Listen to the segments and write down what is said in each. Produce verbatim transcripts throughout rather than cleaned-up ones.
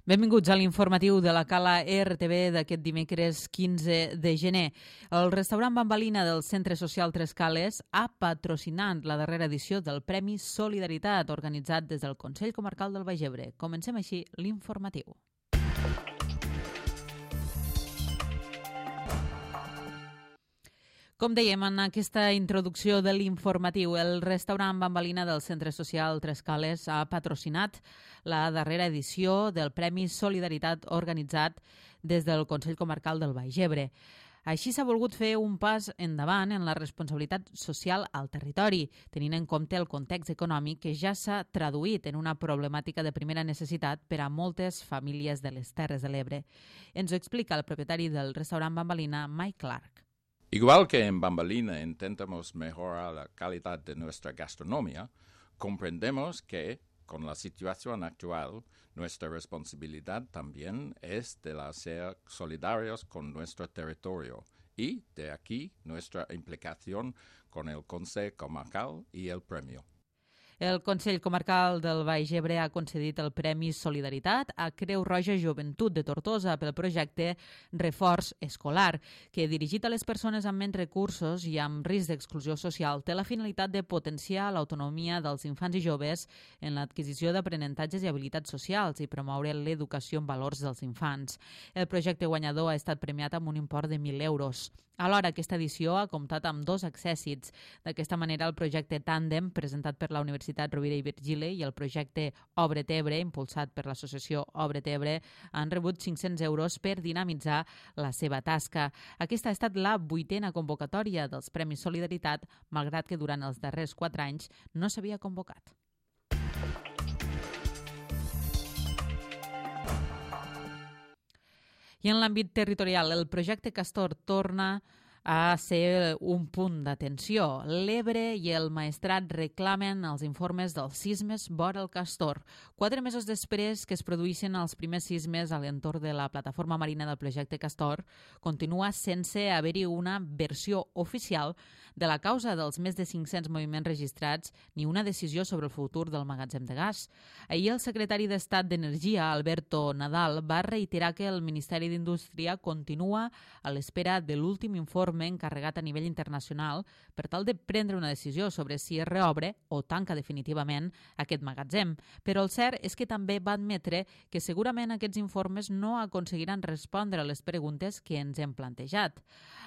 Benvinguts a l'informatiu de la Cala R T V d'aquest dimecres quinze de gener. El restaurant Bambalina del Centre Social Tres Cales ha patrocinat la darrera edició del Premi Solidaritat organitzat des del Consell Comarcal del Baix Ebre. Comencem així l'informatiu. Com dèiem en aquesta introducció de l'informatiu, el restaurant Bambalina del Centre Social Tres Cales ha patrocinat la darrera edició del Premi Solidaritat organitzat des del Consell Comarcal del Baix Ebre. Així s'ha volgut fer un pas endavant en la responsabilitat social al territori, tenint en compte el context econòmic que ja s'ha traduït en una problemàtica de primera necessitat per a moltes famílies de les Terres de l'Ebre. Ens ho explica el propietari del restaurant Bambalina, Mike Clark. Igual que en Bambalina intentamos mejorar la calidad de nuestra gastronomía, comprendemos que, con la situación actual, nuestra responsabilidad también es de la ser solidarios con nuestro territorio y, de aquí, nuestra implicación con el Consejo Comarcal y el premio. El Consell Comarcal del Baix Ebre ha concedit el Premi Solidaritat a Creu Roja Joventut de Tortosa pel projecte Reforç Escolar, que, dirigit a les persones amb menys recursos i amb risc d'exclusió social, té la finalitat de potenciar l'autonomia dels infants i joves en l'adquisició d'aprenentatges i habilitats socials i promoure l'educació en valors dels infants. El projecte guanyador ha estat premiat amb un import de mil euros. Alhora, aquesta edició ha comptat amb dos accèssits. D'aquesta manera, el projecte Tàndem, presentat per la Universitat Rovira i Virgili, i el projecte Obre't Ebre, impulsat per l'associació Obre't Ebre, han rebut cinc-cents euros per dinamitzar la seva tasca. Aquesta ha estat la vuitena convocatòria dels Premis Solidaritat, malgrat que durant els darrers quatre anys no s'havia convocat. I en l'àmbit territorial, el projecte Castor torna a ser un punt d'atenció. L'Ebre i el Maestrat reclamen els informes dels sismes vora el Castor. Quatre mesos després que es produïssin els primers sismes a l'entorn de la plataforma marina del projecte Castor, continua sense haver-hi una versió oficial de la causa dels més de cinc-cents moviments registrats ni una decisió sobre el futur del magatzem de gas. Ahir el secretari d'Estat d'Energia, Alberto Nadal, va reiterar que el Ministeri d'Indústria continua a l'espera de l'últim informe encarregat a nivell internacional per tal de prendre una decisió sobre si es reobre o tanca definitivament aquest magatzem. Però el cert és que també va admetre que segurament aquests informes no aconseguiran respondre a les preguntes que ens hem plantejat.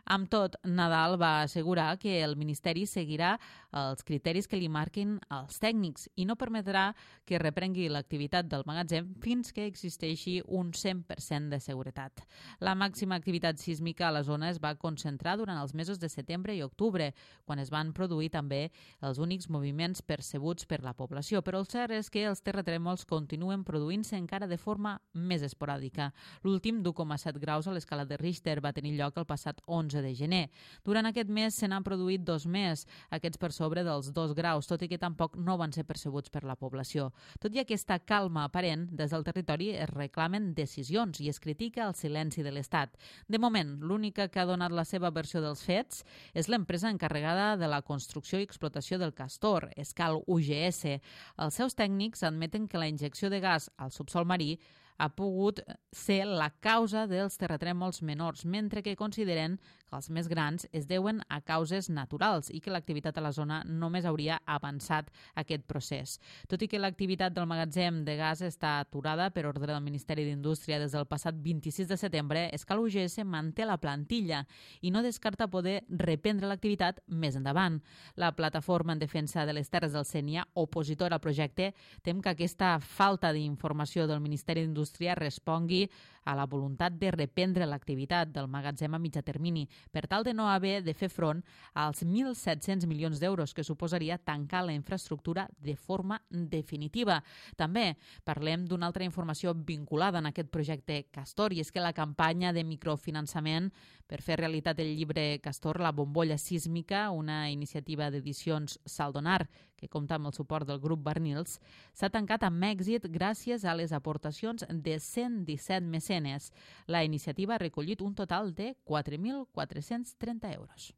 Amb tot, Nadal va assegurar que el Ministeri seguirà els criteris que li marquin els tècnics i no permetrà que reprengui l'activitat del magatzem fins que existeixi un cent per cent de seguretat. La màxima activitat sísmica a la zona es va concentrar durant els mesos de setembre i octubre, quan es van produir també els únics moviments percebuts per la població. Però el cert és que els terratrèmols continuen produint-se encara de forma més esporàdica. L'últim d'u coma set graus a l'escala de Richter va tenir lloc el passat onze de gener. Durant aquest mes se n'han produït dos més, aquests per sobre dels dos graus, tot i que tampoc no van ser percebuts per la població. Tot i aquesta calma aparent, des del territori es reclamen decisions i es critica el silenci de l'Estat. De moment, l'única que ha donat la seva versió dels fets és l'empresa encarregada de la construcció i explotació del Castor, Escal U G S. Els seus tècnics admeten que la injecció de gas al subsol marí ha pogut ser la causa dels terratrèmols menors, mentre que consideren que els més grans es deuen a causes naturals i que l'activitat a la zona només hauria avançat aquest procés. Tot i que l'activitat del magatzem de gas està aturada per ordre del Ministeri d'Indústria des del passat vint-i-sis de setembre, Escal U G S manté la plantilla i no descarta poder reprendre l'activitat més endavant. La plataforma en defensa de les Terres del Sénia, opositora al projecte, tem que aquesta falta d'informació del Ministeri d'Indústria respongui a la voluntat de reprendre l'activitat del magatzem a mitjà termini, per tal de no haver de fer front als mil set-cents milions d'euros que suposaria tancar la infraestructura de forma definitiva. També parlem d'una altra informació vinculada en aquest projecte Castor, i és que la campanya de microfinançament per fer realitat el llibre Castor, la bombolla sísmica, una iniciativa d'edicions Saldonar, que compta amb el suport del grup Barnils, s'ha tancat amb èxit gràcies a les aportacions de cent disset mecenes. La iniciativa ha recollit un total de quatre mil quatre-cents trenta euros.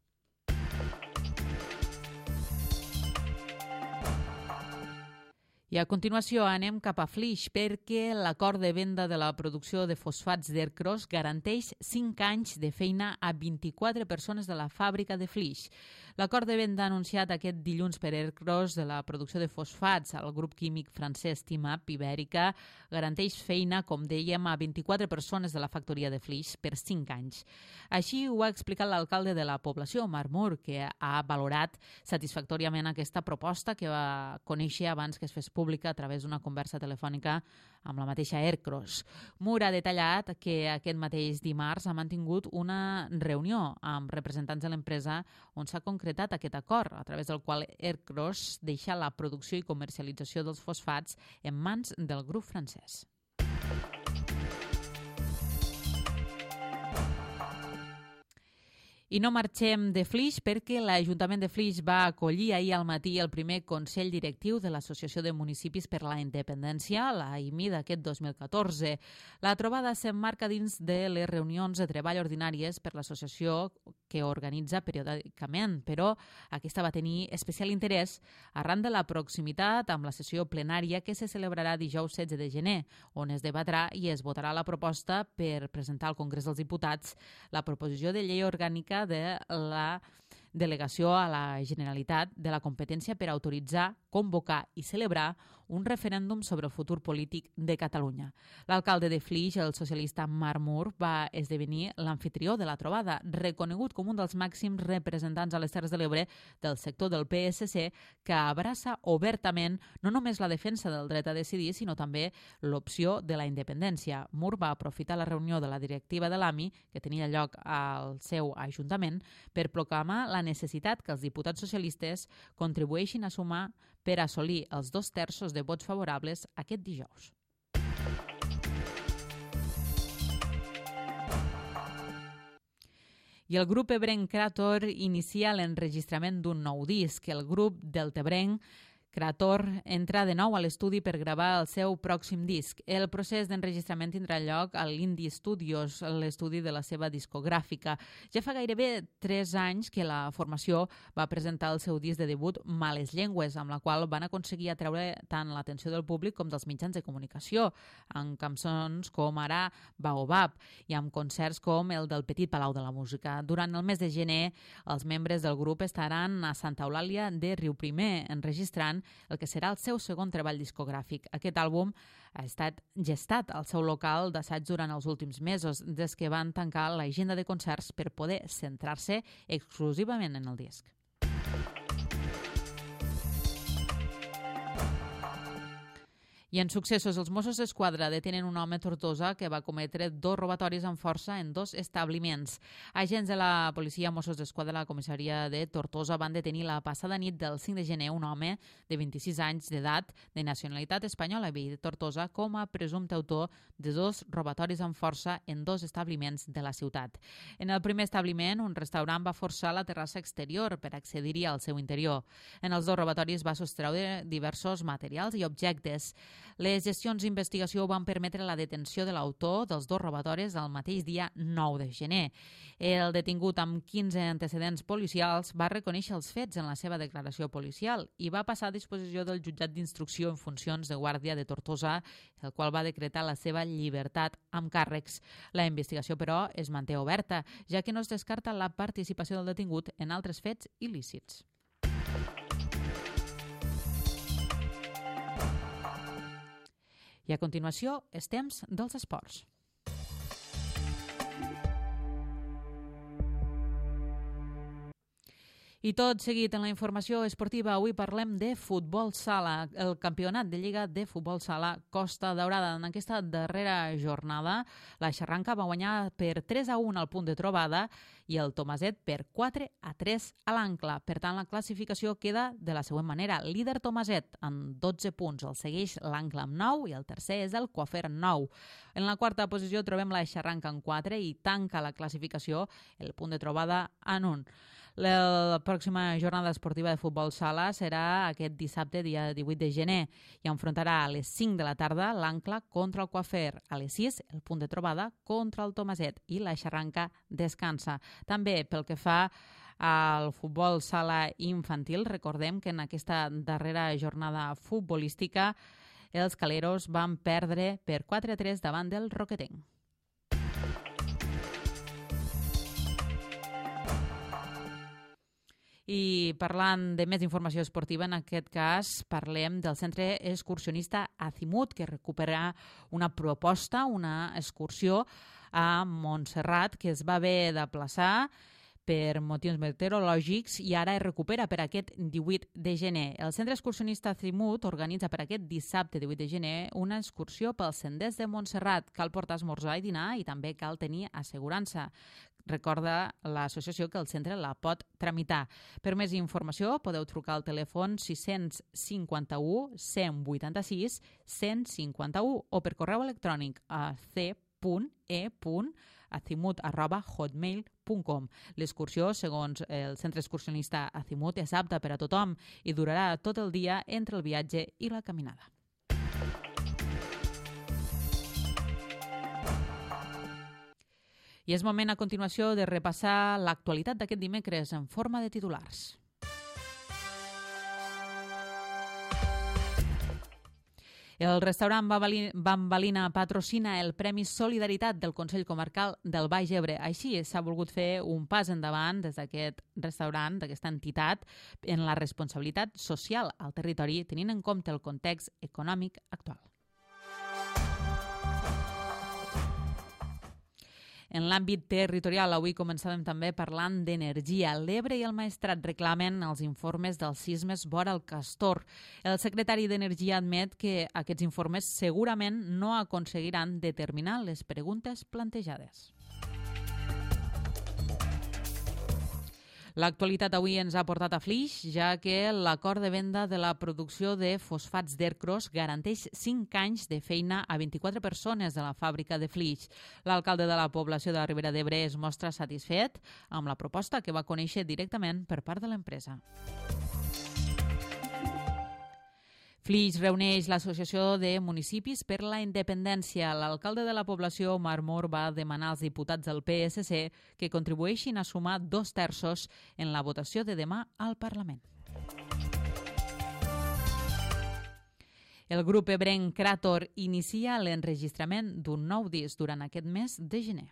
I a continuació anem cap a Flix perquè l'acord de venda de la producció de fosfats d'Ercros garanteix cinc anys de feina a vint-i-quatre persones de la fàbrica de Flix. L'acord de venda anunciat aquest dilluns per Ercros de la producció de fosfats al grup químic francès Timap Ibèrica garanteix feina, com dèiem, a vint-i-quatre persones de la factoria de Flix per cinc anys. Així ho ha explicat l'alcalde de la població, Marc Mur, que ha valorat satisfactòriament aquesta proposta que va conèixer abans que es fes pública a través d'una conversa telefònica amb la mateixa Ercros. Mur ha detallat que aquest mateix dimarts ha mantingut una reunió amb representants de l'empresa on s'ha concretat aquest acord, a través del qual Ercros deixa la producció i comercialització dels fosfats en mans del grup francès. I no marxem de Flix perquè l'Ajuntament de Flix va acollir ahir al matí el primer Consell Directiu de l'Associació de Municipis per la Independència, la A I M I d'aquest dos mil catorze. La trobada s'emmarca dins de les reunions de treball ordinàries per l'associació que organitza periòdicament, però aquesta va tenir especial interès arran de la proximitat amb la sessió plenària que se celebrarà dijous setze de gener, on es debatrà i es votarà la proposta per presentar al Congrés dels Diputats la proposició de llei orgànica de la delegació a la Generalitat de la competència per autoritzar, convocar i celebrar un referèndum sobre el futur polític de Catalunya. L'alcalde de Flix, el socialista Marc Mur, va esdevenir l'amfitrió de la trobada, reconegut com un dels màxims representants a les Terres de l'Ebre del sector del P S C, que abraça obertament no només la defensa del dret a decidir, sinó també l'opció de la independència. Mur va aprofitar la reunió de la directiva de l'A M I, que tenia lloc al seu ajuntament, per proclamar la necessitat que els diputats socialistes contribueixin a sumar per assolir els dos terços de vots favorables aquest dijous. I el grup ebrenc Creator inicia l'enregistrament d'un nou disc. El grup deltebrenc Creator entra de nou a l'estudi per gravar el seu pròxim disc. El procés d'enregistrament tindrà lloc a l'Indie Studios, l'estudi de la seva discogràfica. Ja fa gairebé tres anys que la formació va presentar el seu disc de debut Males Llengües, amb la qual van aconseguir atreure tant l'atenció del públic com dels mitjans de comunicació, amb cançons com ara Baobab i amb concerts com el del Petit Palau de la Música. Durant el mes de gener, els membres del grup estaran a Santa Eulàlia de Riuprimer, enregistrant el que serà el seu segon treball discogràfic. Aquest àlbum ha estat gestat al seu local d'assaig durant els últims mesos, des que van tancar l'agenda de concerts per poder centrar-se exclusivament en el disc. I en successos, els Mossos d'Esquadra detenen un home a Tortosa que va cometre dos robatoris amb força en dos establiments. Agents de la policia Mossos d'Esquadra de la comissaria de Tortosa van detenir la passada nit del cinc de gener un home de vint-i-sis anys d'edat de nacionalitat espanyola i de Tortosa com a presumpte autor de dos robatoris amb força en dos establiments de la ciutat. En el primer establiment, un restaurant va forçar la terrassa exterior per accedir-hi al seu interior. En els dos robatoris va sostreure diversos materials i objectes. Les gestions d'investigació van permetre la detenció de l'autor dels dos robatoris el mateix dia nou de gener. El detingut amb quinze antecedents policials va reconèixer els fets en la seva declaració policial i va passar a disposició del jutjat d'instrucció en funcions de guàrdia de Tortosa, el qual va decretar la seva llibertat amb càrrecs. La investigació, però, es manté oberta, ja que no es descarta la participació del detingut en altres fets il·lícits. I a continuació, és temps dels esports. I tot seguit en la informació esportiva, avui parlem de futbol sala, el campionat de Lliga de Futbol Sala Costa Daurada. En aquesta darrera jornada, la Xarranca va guanyar per tres a un al punt de trobada i el Tomaset per quatre a tres a l'Ancla. Per tant, la classificació queda de la següent manera. Líder Tomaset amb dotze punts, el segueix l'Ancla amb nou i el tercer és el Coafer amb nou. En la quarta posició trobem la Xarranca amb quatre i tanca la classificació el punt de trobada en un. La pròxima jornada esportiva de futbol sala serà aquest dissabte, dia divuit de gener, i enfrontarà a les cinc de la tarda l'Ancla contra el Coafer. A les sis, el punt de trobada contra el Tomaset i la Xarranca descansa. També pel que fa Al futbol sala infantil, recordem que en aquesta darrera jornada futbolística els caleros van perdre per quatre a tres davant del Roquetenc. I parlant de més informació esportiva, en aquest cas parlem del centre excursionista Azimut, que recupera una proposta, una excursió a Montserrat, que es va haver d'aplaçar per motius meteorològics i ara es recupera per aquest divuit de gener. El centre excursionista Azimut organitza per aquest dissabte divuit de gener una excursió pels senders de Montserrat. Cal portar esmorzar i dinar i també cal tenir assegurança. Recorda l'associació que el centre la pot tramitar. Per més informació podeu trucar al telèfon sis cinc u, cent vuitanta-sis, cent cinquanta-u o per correu electrònic a c punt e punt azimut arroba hotmail punt com. L'excursió, segons el centre excursionista Azimut, és apta per a tothom i durarà tot el dia entre el viatge i la caminada. I és moment a continuació de repassar l'actualitat d'aquest dimecres en forma de titulars. El restaurant Bambalina patrocina el Premi Solidaritat del Consell Comarcal del Baix Ebre. Així s'ha volgut fer un pas endavant des d'aquest restaurant, d'aquesta entitat, en la responsabilitat social al territori, tenint en compte el context econòmic actual. En l'àmbit territorial, avui començàvem també parlant d'energia. L'Ebre i el Maestrat reclamen els informes dels sismes vora el Castor. El secretari d'Energia admet que aquests informes segurament no aconseguiran determinar les preguntes plantejades. L'actualitat avui ens ha portat a Flix, ja que l'acord de venda de la producció de fosfats d'Ercros garanteix cinc anys de feina a vint-i-quatre persones de la fàbrica de Flix. L'alcalde de la població de la Ribera d'Ebre es mostra satisfet amb la proposta que va conèixer directament per part de l'empresa. Flix reuneix l'Associació de Municipis per la Independència. L'alcalde de la població, Omar Mor, va demanar als diputats del P S C que contribueixin a sumar dos terços en la votació de demà al Parlament. El grup ebrenc Krator inicia l'enregistrament d'un nou disc durant aquest mes de gener.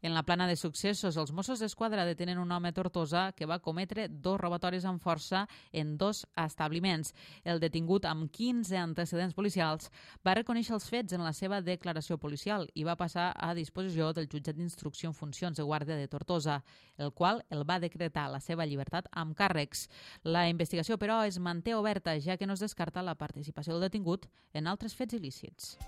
En la plana de successos, els Mossos d'Esquadra detenen un home a Tortosa que va cometre dos robatoris amb força en dos establiments. El detingut, amb quinze antecedents policials, va reconèixer els fets en la seva declaració policial i va passar a disposició del jutjat d'instrucció en funcions de guàrdia de Tortosa, el qual el va decretar la seva llibertat amb càrrecs. La investigació, però, es manté oberta, ja que no es descarta la participació del detingut en altres fets il·lícits.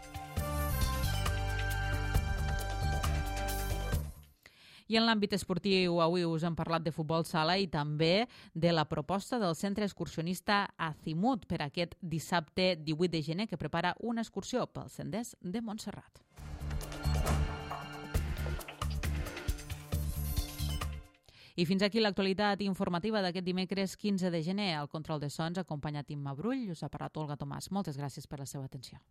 I en l'àmbit esportiu, avui us hem parlat de futbol sala i també de la proposta del centre excursionista Azimut per aquest dissabte divuit de gener, que prepara una excursió pels senders de Montserrat. I fins aquí l'actualitat informativa d'aquest dimecres quinze de gener. Al control de sons, acompanyat Imma Brull, us ha parlat Olga Tomàs. Moltes gràcies per la seva atenció.